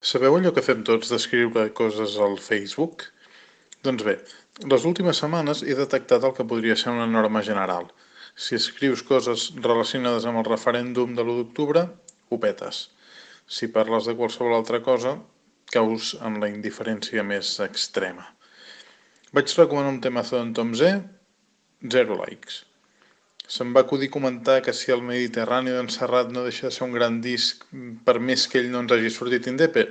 Sabeu allò que fem tots d'escriure coses al Facebook? Doncs bé, les últimes setmanes he detectat el que podria ser una norma general. Si escrius coses relacionades amb el referèndum de l'1 d'octubre, ho petes. Si parles de qualsevol altra cosa, caus en la indiferència més extrema. Vaig recomanar un temazo d'en Tom Z, 0 likes. Se'm va acudir comentar que si el Mediterrani d'en Serrat no deixa de ser un gran disc per més que ell no ens hagi sortit indepe,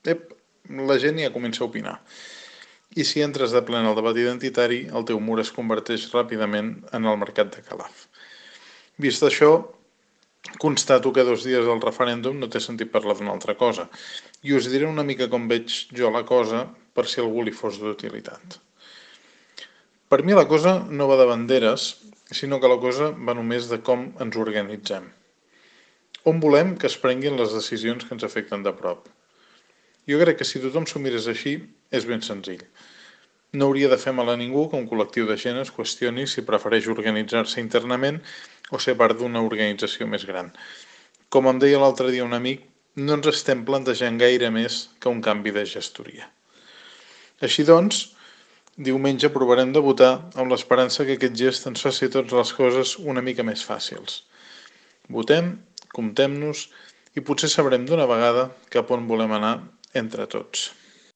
la gent ja comença a opinar. I si entres de ple en el debat identitari, el teu mur es converteix ràpidament en el mercat de Calaf. Vist això, constato que 2 dies del referèndum no té sentit parlar d'una altra cosa, i us diré una mica com veig jo la cosa, per si algú li fos d'utilitat. Per mi la cosa no va de banderes, sinó que la cosa va només de com ens organitzem. On volem que es prenguin les decisions que ens afecten de prop. Jo crec que si tothom s'ho mirés així, és ben senzill. No hauria de fer mal a ningú que un col·lectiu de gent es qüestioni si prefereix organitzar-se internament o ser part d'una organització més gran. Com em deia l'altre dia un amic, no ens estem plantejant gaire més que un canvi de gestoria. Així doncs, diumenge provarem de votar amb l'esperança que aquest gest ens faci a tots les coses una mica més fàcils. Votem, comptem-nos i potser sabrem d'una vegada cap on volem anar entre tots.